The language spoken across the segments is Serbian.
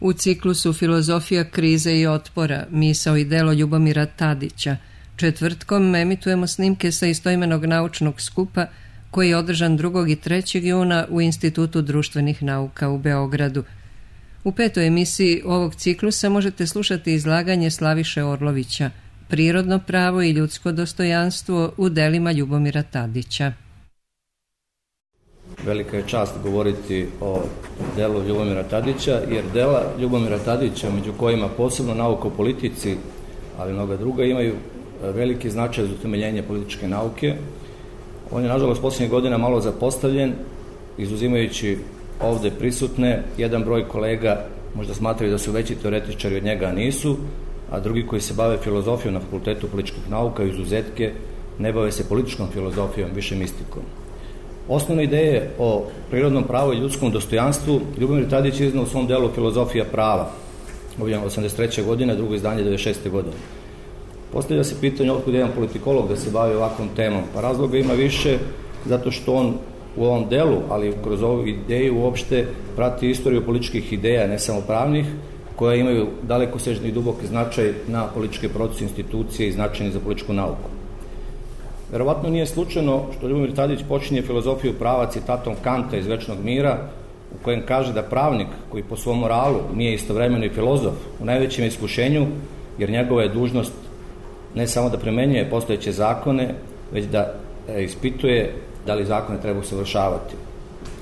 U ciklusu Filozofija krize i otpora, misao i delo Ljubomira Tadića, četvrtkom emitujemo snimke sa istoimenog naučnog skupa koji je održan 2. i 3. juna u Institutu društvenih nauka u Beogradu. U 5. emisiji ovog ciklusa možete slušati izlaganje Slaviše Orlovića, Prirodno pravo i ljudsko dostojanstvo u delima Ljubomira Tadića. Velika je čast govoriti o delu Ljubomira Tadića, jer dela Ljubomira Tadića, među kojima posebno nauka o politici, ali mnoga druga, imaju veliki značaj za utemeljenje političke nauke. On je, nažalost, posljednjih godina malo zapostavljen, izuzimajući ovde prisutne. Jedan broj kolega možda smatraju da su veći teoretičari od njega, a nisu, a drugi koji se bave filozofijom na Fakultetu političkih nauka, izuzetke, ne bave se političkom filozofijom, više mistikom. Osnovne ideje o prirodnom pravu i ljudskom dostojanstvu Ljubomir Tadić iznao u svom delu Filozofija prava, objavljeno 83. godine, drugo izdanje 96. godine. Postavlja se pitanje otkud jedan politikolog da se bavi ovakvom temom. Pa razloga ima više, zato što on u ovom delu, ali kroz ovu ideju uopšte prati istoriju političkih ideja, ne samo pravnih, koje imaju dalekosežni i duboki značaj na političke procese, institucije i značajni za političku nauku. Verovatno nije slučajno što Ljubomir Tadić počinje filozofiju prava citatom Kanta iz Večnog mira, u kojem kaže da pravnik koji po svom moralu nije istovremeno i filozof u najvećem iskušenju, jer njegova je dužnost ne samo da primenjuje postojeće zakone, već da ispituje da li zakone treba usavršavati.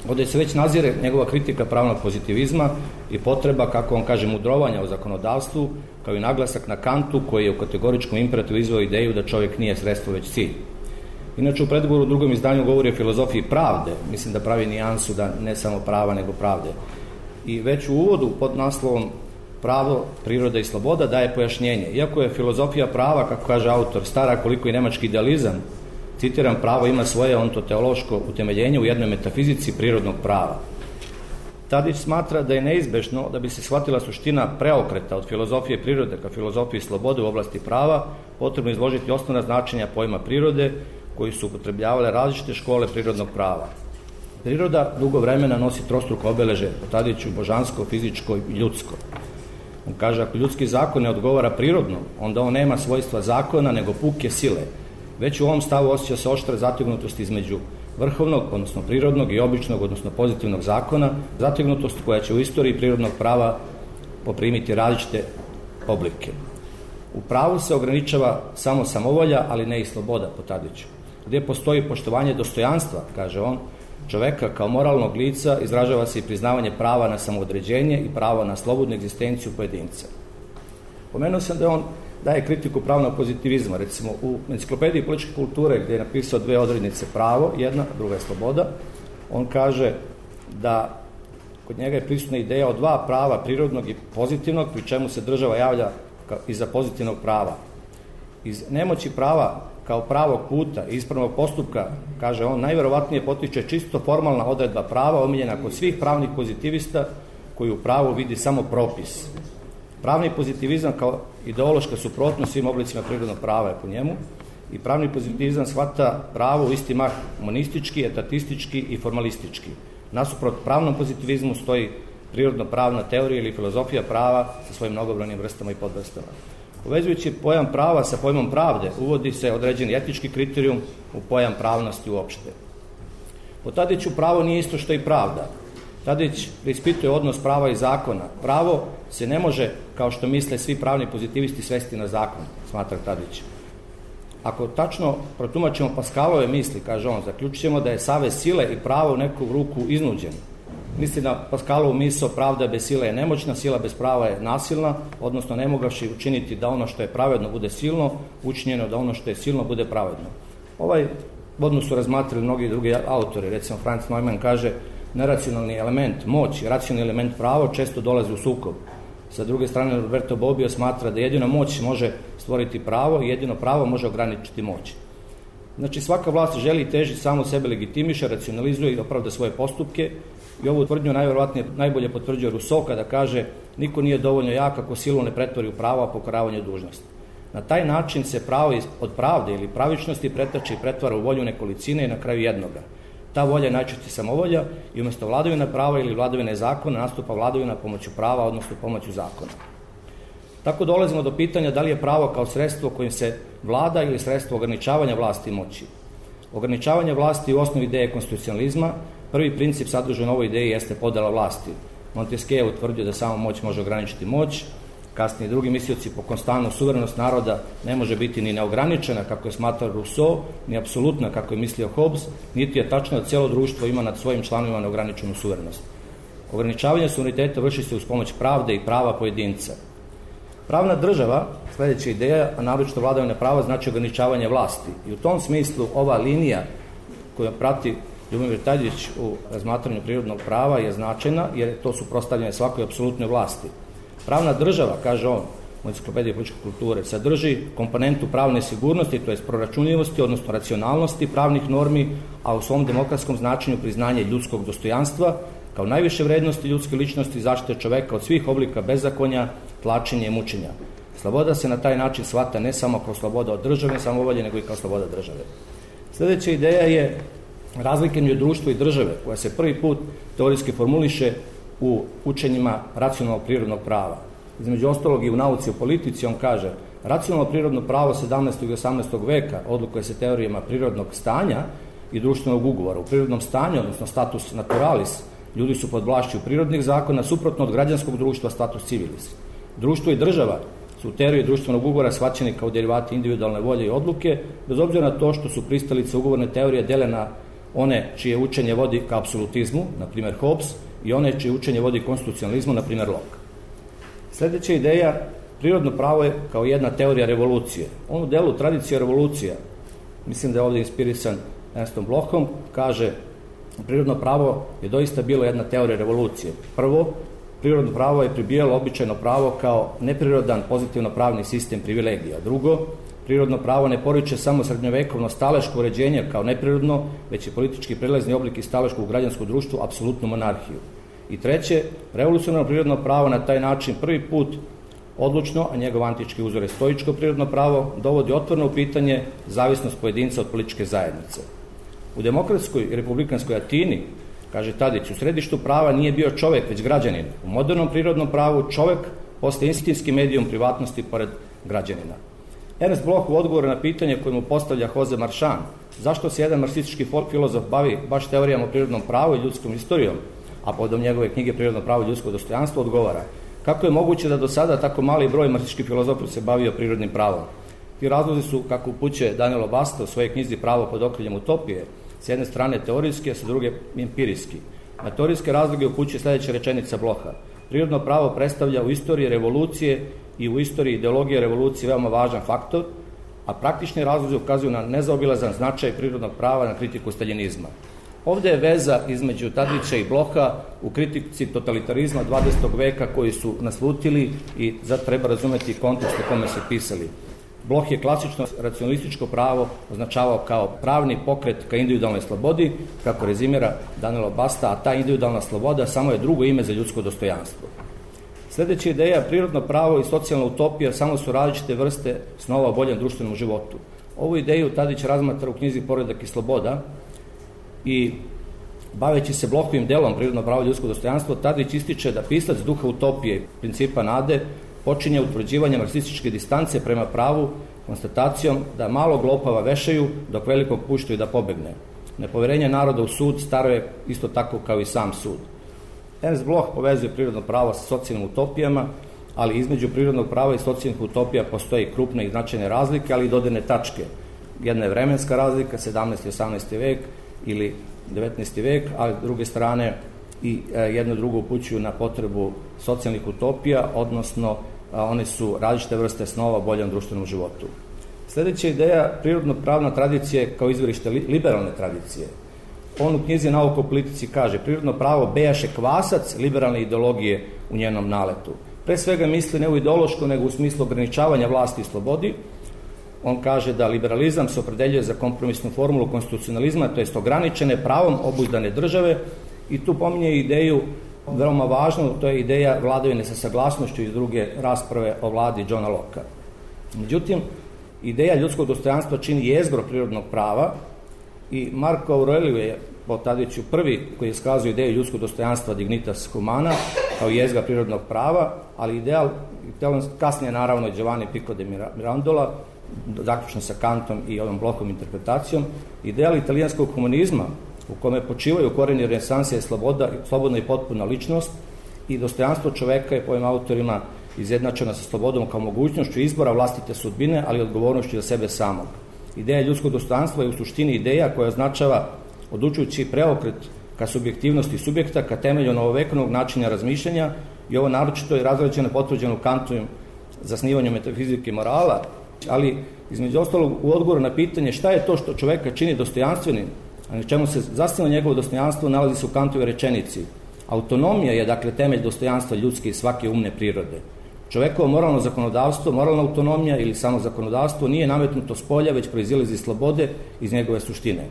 Ovdje se već nazire njegova kritika pravnog pozitivizma i potreba, kako on kaže, mudrovanja o zakonodavstvu, kao i naglasak na Kantu, koji je u kategoričkom imperativu izveo ideju da čovjek nije sredstvo već cilj. Inače, u predgovoru u drugom izdanju govori o filozofiji pravde, mislim da pravi nijansu da ne samo prava nego pravde. I već u uvodu pod naslovom Pravo, priroda i sloboda daje pojašnjenje. Iako je filozofija prava, kako kaže autor, stara koliko i nemački idealizam, citiram, pravo ima svoje ontoteološko utemeljenje u jednoj metafizici prirodnog prava. Tadić smatra da je neizbešno da bi se shvatila suština preokreta od filozofije prirode ka filozofiji slobode u oblasti prava, potrebno izložiti osnovna značenja pojma prirode koji su upotrebljavale različite škole prirodnog prava. Priroda dugo vremena nosi trostruko obeležje, po Tadiću božansko, fizičko i ljudsko. On kaže, ako ljudski zakon ne odgovara prirodno, onda on nema svojstva zakona, nego puke sile. Već u ovom stavu osjeća se oštra zategnutost između vrhovnog, odnosno prirodnog i običnog, odnosno pozitivnog zakona, zategnutost koja će u istoriji prirodnog prava poprimiti različite oblike. U pravu se ograničava samo samovolja, ali ne i sloboda, po Tadiću. Gdje postoji poštovanje dostojanstva, kaže on, čoveka kao moralnog lica, izražava se i priznavanje prava na samoodređenje i prava na slobodnu egzistenciju pojedinca. Pomenuo sam da on daje kritiku pravnog pozitivizma. Recimo, u enciklopediji političke kulture, gdje je napisao 2 odrednice, pravo, jedna, druga je sloboda, on kaže da kod njega je prisutna ideja o 2 prava, prirodnog i pozitivnog, pri čemu se država javlja iza pozitivnog prava. Iz nemoći prava kao pravog puta i ispravnog postupka, kaže on, najverovatnije potiče čisto formalna odredba prava omiljena kod svih pravnih pozitivista koji u pravu vidi samo propis. Pravni pozitivizam kao ideološka suprotnost svim oblicima prirodnog prava je po njemu i pravni pozitivizam shvata pravo u isti mah monistički, etatistički i formalistički. Nasuprot pravnom pozitivizmu stoji prirodno pravna teorija ili filozofija prava sa svojim mnogobrojnim vrstama i podvrstama. Povezujući pojam prava sa pojmom pravde, uvodi se određeni etički kriterijum u pojam pravnosti uopšte. Po Tadiću pravo nije isto što i pravda. Tadić preispituje odnos prava i zakona. Pravo se ne može, kao što misle svi pravni pozitivisti, svesti na zakon, smatra Tadić. Ako tačno protumačimo Pascalove misli, kaže on, zaključit ćemo da je savez sile i pravo u neku ruku iznuđen. Misli na Pascalovu misao pravda bez sile je nemoćna, sila bez prava je nasilna, odnosno ne mogavši učiniti da ono što je pravedno bude silno, učinjeno da ono što je silno bude pravedno. Ovaj odnos su razmatrali mnogi drugi autori. Recimo, Franz Neumann kaže, neracionalni element, moć i racionalni element pravo često dolaze u sukob. Sa druge strane, Roberto Bobbio smatra da jedina moć može stvoriti pravo i jedino pravo može ograničiti moć. Znači, svaka vlast želi i teži samo sebe legitimiše, racionalizuje i opravda svoje postupke i ovu tvrdnju najbolje potvrđuje Rousseau kada kaže niko nije dovoljno jak ako silu ne pretvori u pravo, a pokoravanje dužnosti. Na taj način se pravo od pravde ili pravičnosti pretače i pretvara u volju nekolicine i na kraju jednoga. ta volja je najčešće samovolja i umjesto vladavine prava ili vladavine zakona nastupa vladavina pomoću prava, odnosno pomoću zakona. Tako dolazimo do pitanja da li je pravo kao sredstvo kojim se vlada ili sredstvo ograničavanja vlasti i moći. Ograničavanje vlasti u osnovi ideje konstitucionalizma. Prvi princip sadržan u ovoj ideji jeste podela vlasti. Montesquieu je utvrdio da samo moć može ograničiti moć. Kasnije drugi mislioci po Constanu suverenost naroda ne može biti ni neograničena, kako je smatrao Rousseau, ni apsolutna, kako je mislio Hobbes, niti je tačno da cijelo društvo ima nad svojim članovima neograničenu suverenost. Ograničavanje suvereniteta vrši se uz pomoć pravde i prava pojedinca. Pravna država, sljedeća ideja, a naročito vladavine prava, znači ograničavanje vlasti. I u tom smislu ova linija koju prati Ljubomir Tadić u razmatranju prirodnog prava je značajna, jer to su suprotstavljene svakoj apsolutnoj vlasti. Pravna država, kaže on u enciklopediji političke kulture, sadrži komponentu pravne sigurnosti, to jest proračunljivosti, odnosno racionalnosti pravnih normi, a u svom demokratskom značenju priznanje ljudskog dostojanstva kao najviše vrednosti ljudske ličnosti, zaštite čoveka od svih oblika bezakonja, tlačenja i mučenja. Sloboda se na taj način shvata ne samo kao sloboda od državne samovolje, nego i kao sloboda države. Sljedeća ideja je razlika između društva i države, koja se prvi put teorijski formuliše u učenjima racionalnog prirodnog prava. Između ostalog i u nauci o politici on kaže: racionalno prirodno pravo 17. i 18. veka odlikuje se teorijama prirodnog stanja i društvenog ugovora. U prirodnom stanju, odnosno status naturalis, ljudi su pod vlašću prirodnih zakona, suprotno od građanskog društva status civilis. Društvo i država su u teoriji društvenog ugovora shvaćeni kao derivati individualne volje i odluke, bez obzira na to što su pristalice ugovorne teorije dele na one čije učenje vodi ka apsolutizmu, na primjer Hobbes, i one čije učenje vodi konstitucionalizmu, na primjer Locke. Sljedeća ideja, prirodno pravo je kao jedna teorija revolucije. On u delu tradicije revolucija, mislim da je ovdje inspirisan Ernstom Blochom, kaže: prirodno pravo je doista bilo jedna teorija revolucije. Prvo, prirodno pravo je pribijalo običajno pravo kao neprirodan pozitivno pravni sistem privilegija. Drugo, prirodno pravo ne poriče samo srednjovekovno staleško uređenje kao neprirodno, već je politički prelazni oblik iz staleškog u građansko društvo apsolutnu monarhiju. I treće, revolucionarno prirodno pravo na taj način prvi put odlučno, a njegov antički uzor je stoičko prirodno pravo, dovodi otvoreno u pitanje zavisnost pojedinca od političke zajednice. U demokratskoj i republikanskoj Atini, kaže Tadić, u središtu prava nije bio čovjek, već građanin. U modernom prirodnom pravu čovjek postaje instinktski medijum privatnosti pored građanina. Ernst Bloch u odgovoru na pitanje koje mu postavlja Jose Marchand, zašto se jedan marksistički filozof bavi baš teorijama o prirodnom pravu i ljudskom istorijom, a povodom njegove knjige Prirodno pravo i ljudsko dostojanstvo, odgovara: kako je moguće da do sada tako mali broj marksističkih filozofa se bavio prirodnim pravom? Ti razlozi su, kako upućuje Danielo Basta u svojoj knjizi Pravo pod okriljem utopije, s jedne strane teorijski, a sa druge empirijski. Na teorijske razloge upućuje sljedeća rečenica Blocha: prirodno pravo predstavlja u istoriji revolucije i u istoriji ideologije revolucije veoma važan faktor, a praktični razlozi ukazuju na nezaobilazan značaj prirodnog prava na kritiku staljinizma. Ovdje je veza između Tadića i Blocha u kritici totalitarizma 20. veka koji su naslutili i zato treba razumjeti kontekst u kome se pisali. Bloch je klasično racionalističko pravo označavao kao pravni pokret ka individualnoj slobodi, kako rezimira Danielo Basta, a ta individualna sloboda samo je drugo ime za ljudsko dostojanstvo. Sljedeća ideja, prirodno pravo i socijalna utopija samo su različite vrste snova o boljem društvenom životu. Ovu ideju Tadić razmatra u knjizi Poredak i sloboda i baveći se Blochovim delom prirodno pravo i ljudsko dostojanstvo, Tadić ističe da pisac duha utopije i principa nade počinje utvrđivanje marksističke distance prema pravu konstatacijom da malog lopava vešaju dok velikog puštaju da pobegne. Nepovjerenje naroda u sud staro je isto tako kao i sam sud. Ernst Bloch povezuje prirodno pravo sa socijalnim utopijama, ali između prirodnog prava i socijalnih utopija postoji krupne i značajne razlike, ali i dodirne tačke. Jedna je vremenska razlika, 17. i 18. vek ili 19. vek, ali s druge strane i jedno drugo upućuju na potrebu socijalnih utopija, odnosno one su različite vrste snova o boljem društvenom životu. Sljedeća ideja, prirodno pravna tradicija kao izvorište liberalne tradicije. On u knjizi Nauka o politici kaže: prirodno pravo bejaše kvasac liberalne ideologije u njenom naletu. Pre svega misli ne u ideološko, nego u smislu ograničavanja vlasti i slobodi. On kaže da liberalizam se opredeljuje za kompromisnu formulu konstitucionalizma, to jest ograničene pravom obuzdane države, i tu pominje ideju veoma važnu, to je ideja vladavine sa saglasnošću iz druge rasprave o vladi Johna Locke. Međutim, ideja ljudskog dostojanstva čini jezgro prirodnog prava i Marko Aurelije je po Tadiću prvi koji iskazuje ideju ljudskog dostojanstva dignitas humana kao jezgra prirodnog prava, ali ideal kasnije naravno Giovanni Pico de Mirandola, zaključno sa Kantom i ovom blokom interpretacijom, ideal italijanskog humanizma u kome počivaju korijeni renesanse je slobodna i potpuna ličnost i dostojanstvo čoveka je po ovim autorima izjednačena sa slobodom kao mogućnošću izbora vlastite sudbine, ali odgovornošću za sebe samog. Ideja ljudskog dostojanstva je u suštini ideja koja označava odlučujući preokret ka subjektivnosti subjekta, ka temelju novovekovnog načina razmišljanja i ovo naročito je razrađeno potvrđeno Kantovim zasnivanjem metafizike morala, ali između ostalog u odgovoru na pitanje šta je to što čoveka čini dostojanstvenim, a na čemu se zasniva njegovo dostojanstvo, nalazi se u Kantovoj rečenici. Autonomija je dakle temelj dostojanstva ljudske i svake umne prirode. Čovekovo moralno zakonodavstvo, moralna autonomija ili samo zakonodavstvo nije nametnuto s polja, već proizilazi iz slobode iz njegove suštine.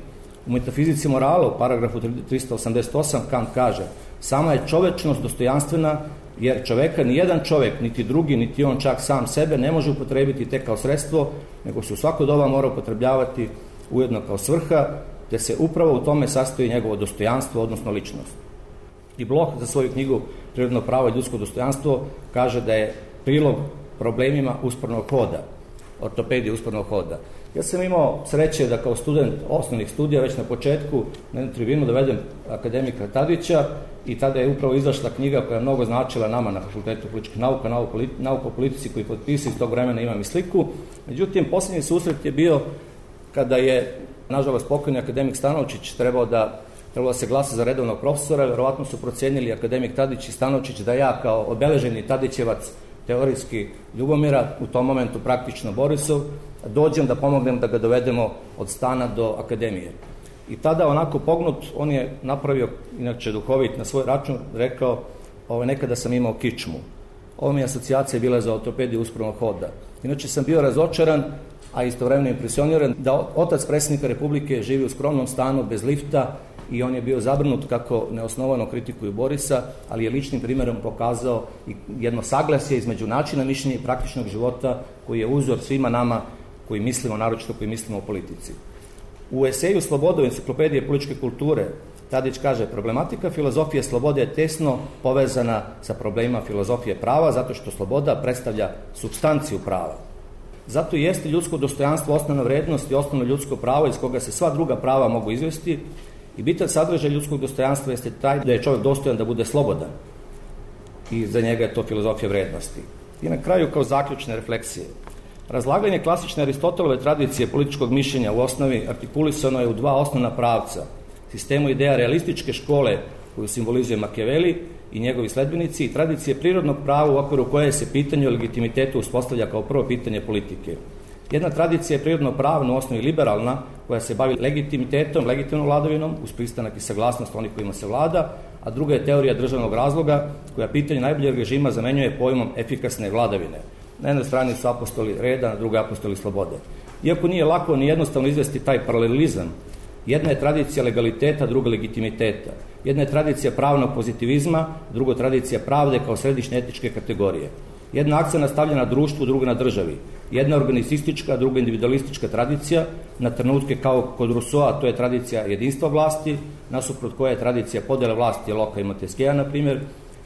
U metafizici morala, u paragrafu 388, Kant kaže: sama je čovečnost dostojanstvena, jer čoveka ni jedan čovek, niti drugi, niti on čak sam sebe ne može upotrebiti tek kao sredstvo, nego se u svako doba mora upotrebljavati ujedno kao svrha, te se upravo u tome sastoji njegovo dostojanstvo, odnosno ličnost. I Bloch za svoju knjigu Prirodno pravo i ljudsko dostojanstvo kaže da je prilog problemima uspornog hoda, ortopedije uspornog hoda. Ja sam imao sreće da kao student osnovnih studija već na početku na jednu tribinu dovedem akademika Tadića i tada je upravo izašla knjiga koja je mnogo značila nama na Fakultetu političkih nauka, nauka o politici koji potpisi iz tog vremena imam i sliku. Međutim, posljednji susret je bio kada je, nažalost, pokojni akademik Stanovčić trebalo da se glasa za redovnog profesora. Verovatno su procenili akademik Tadić i Stanovčić da ja kao obeleženi Tadićevac teorijski Ljubomira, u tom momentu praktično Borisov, dođem da pomognem da ga dovedemo od stana do akademije. I tada onako pognut, on je napravio, inače duhovit na svoj račun, rekao: nekada sam imao kičmu. Ovo mi je asocijacija bila za ortopediju uspornog hoda. Inače sam bio razočaran, a istovremeno impresioniran da otac predsjednika Republike živi u skromnom stanu bez lifta i on je bio zabrinut kako neosnovano kritikuju Borisa, ali je ličnim primjerom pokazao jedno saglasje između načina mišljenja i praktičnog života koji je uzor svima nama koji mislimo, naročito koji mislimo o politici. U eseju Sloboda u enciklopedije političke kulture Tadić kaže: problematika filozofije slobode je tesno povezana sa problemima filozofije prava, zato što sloboda predstavlja supstanciju prava. Zato i jeste ljudsko dostojanstvo osnovna vrednost i osnovno ljudsko pravo iz koga se sva druga prava mogu izvesti. I bitan sadržaj ljudskog dostojanstva jeste taj da je čovjek dostojan da bude slobodan. I za njega je to filozofija vrednosti. I na kraju, kao zaključne refleksije, razlaganje klasične Aristotelove tradicije političkog mišljenja u osnovi artikulisano je u dva osnovna pravca: sistemu ideja realističke škole koju simbolizuje Machiavelli i njegovi sledbenici i tradicije prirodnog prava u okviru koje se pitanje o legitimitetu uspostavlja kao prvo pitanje politike. Jedna tradicija je prirodno pravna, u osnovi liberalna, koja se bavi legitimitetom, legitimnom vladavinom, uz pristanak i saglasnost onih kojima se vlada, a druga je teorija državnog razloga, koja pitanje najboljeg režima zamenjuje pojmom efikasne vladavine. Na jednoj strani su apostoli reda, na drugoj apostoli slobode. Iako nije lako ni jednostavno izvesti taj paralelizam, jedna je tradicija legaliteta, druga legitimiteta. Jedna je tradicija pravnog pozitivizma, druga tradicija pravde kao središnje etičke kategorije. Jedna akcija nastavlja na društvu, druga na državi. Jedna organistička, druga individualistička tradicija, na trenutke kao kod Rousseaua, to je tradicija jedinstva vlasti, nasuprot koja je tradicija podjele vlasti Locke i Montesquieu, na primjer.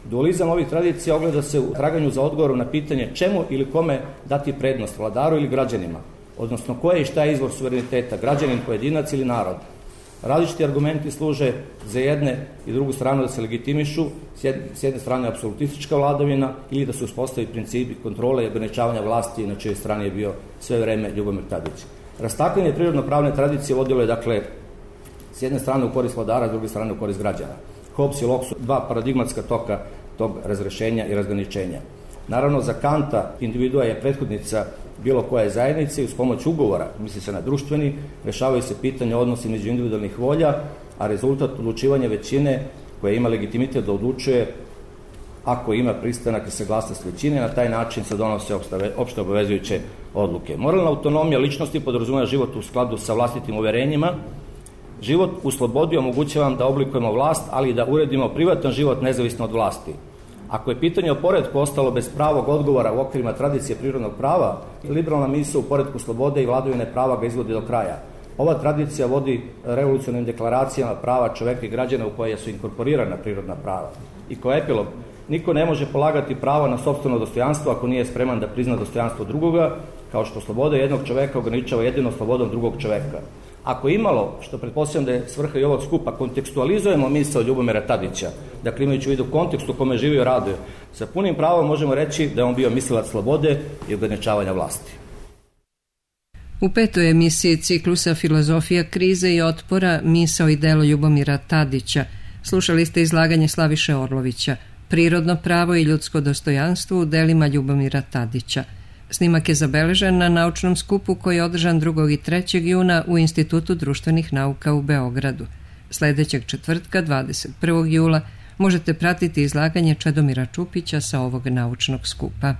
Dualizam ovih tradicija ogleda se u traganju za odgovorom na pitanje čemu ili kome dati prednost, vladaru ili građanima, odnosno koje i šta je izvor suvereniteta, građanin, pojedinac ili narod. Različiti argumenti služe za jedne i drugu stranu da se legitimišu, s jedne strane apsolutistička vladavina ili da se uspostavi principi kontrole i ograničavanja vlasti, na čijoj strani je bio sve vreme Ljubomir Tadić. Rastakanje prirodno-pravne tradicije vodilo je, dakle, s jedne strane u korist vladara, s druge strane u korist građana. Hobbes i Locke su dva paradigmatska toka tog razrešenja i razgraničenja. Naravno, za Kanta individua je prethodnica bilo koje zajednice i uz pomoć ugovora, misli se na društveni, rešavaju se pitanja odnosi među individualnih volja, a rezultat odlučivanja većine koja ima legitimitet da odlučuje ako ima pristanak i saglasnost većine, na taj način se donose opšte obavezujuće odluke. Moralna autonomija ličnosti podrazumeva život u skladu sa vlastitim uverenjima. Život u slobodi omogućava nam da oblikujemo vlast, ali i da uredimo privatan život nezavisno od vlasti. Ako je pitanje o poretku ostalo bez pravog odgovora u okvirima tradicije prirodnog prava, liberalna misao u poretku slobode i vladavine prava ga izvodi do kraja. Ova tradicija vodi revolucionarnim deklaracijama prava čoveka i građana u koje su inkorporirana prirodna prava. I kao epilog, niko ne može polagati pravo na sopstveno dostojanstvo ako nije spreman da prizna dostojanstvo drugoga, kao što sloboda jednog čoveka ograničava jedino slobodom drugog čoveka. Ako imalo, što pretpostavljam da je svrha i ovog skupa, kontekstualizujemo misao Ljubomira Tadića, dakle imajući u vidu kontekst u kome živio i radio, sa punim pravom možemo reći da je on bio mislilac slobode i ograničavanja vlasti. U 5. emisiji ciklusa Filozofija krize i otpora, misao i delo Ljubomira Tadića slušali ste izlaganje Slaviše Orlovića, Prirodno pravo i ljudsko dostojanstvo u delima Ljubomira Tadića. Snimak je zabeležen na naučnom skupu koji je održan 2. i 3. juna u Institutu društvenih nauka u Beogradu. Sljedećeg četvrtka, 21. jula, možete pratiti izlaganje Čedomira Čupića sa ovog naučnog skupa.